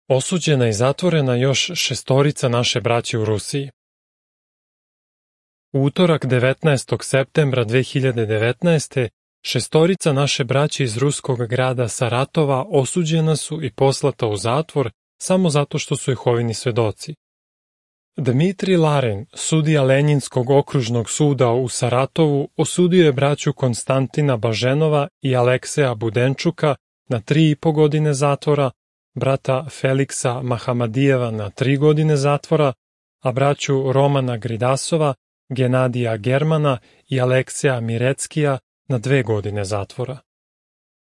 Osuđena i zatvorena još 6 naše braće u Rusiji. U utorak 19. septembra 2019. 6 naše braće iz ruskog grada Saratova osuđena su i poslata u zatvor samo zato što su Jehovini svedoci. Dmitrij Larin, sudija Lenjinskog okružnog suda u Saratovu, osudio je braću Konstantina Baženova i Alekseja Budenčuka na 3,5 godine zatvora, brata Feliksa Mahamadijeva na 3 godine zatvora, a braću Romana Gridasova, Genadija Germana i Alekseja Mireckija na 2 godine zatvora.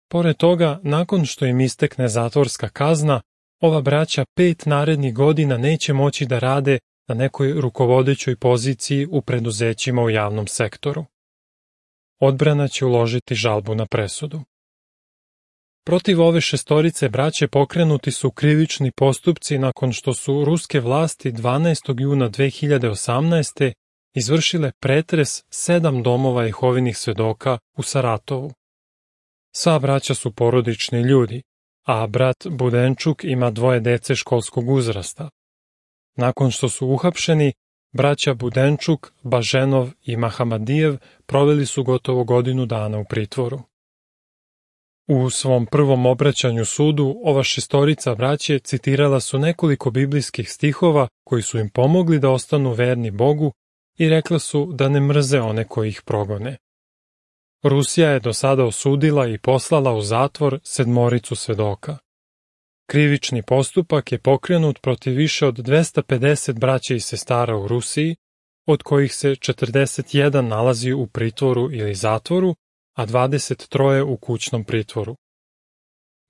Pored toga, nakon što im istekne zatvorska kazna, ova braća 5 narednih godina neće moći da rade na nekoj rukovodećoj poziciji u preduzećima u javnom sektoru. Odbrana će uložiti žalbu na presudu. Protiv ove 6 braće pokrenuti su krivični postupci nakon što su ruske vlasti 12. juna 2018. izvršile pretres 7 domova Jehovinih svedoka u Saratovu. Sva braća su porodični ljudi, a brat Budenčuk ima 2 dece školskog uzrasta. Nakon što su uhapšeni, braća Budenčuk, Baženov i Mahamadijev proveli su gotovo godinu dana u pritvoru. U svom prvom obraćanju sudu, ova 6 braće citirala su nekoliko biblijskih stihova koji su im pomogli da ostanu verni Bogu i rekla su da ne mrze one koji ih progone. Rusija je do sada osudila i poslala u zatvor 7 svedoka. Krivični postupak je pokrenut protiv više od 250 braća i sestara u Rusiji, od kojih se 41 nalazi u pritvoru ili zatvoru, a 23 u kućnom pritvoru.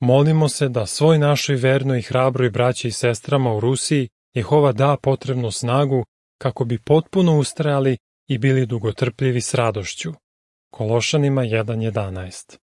Molimo se da svoj našoj vernoj i hrabroj braći i sestrama u Rusiji Jehova da potrebnu snagu kako bi potpuno ustrajali i bili dugotrpljivi s radošću. Kološanima 1:11.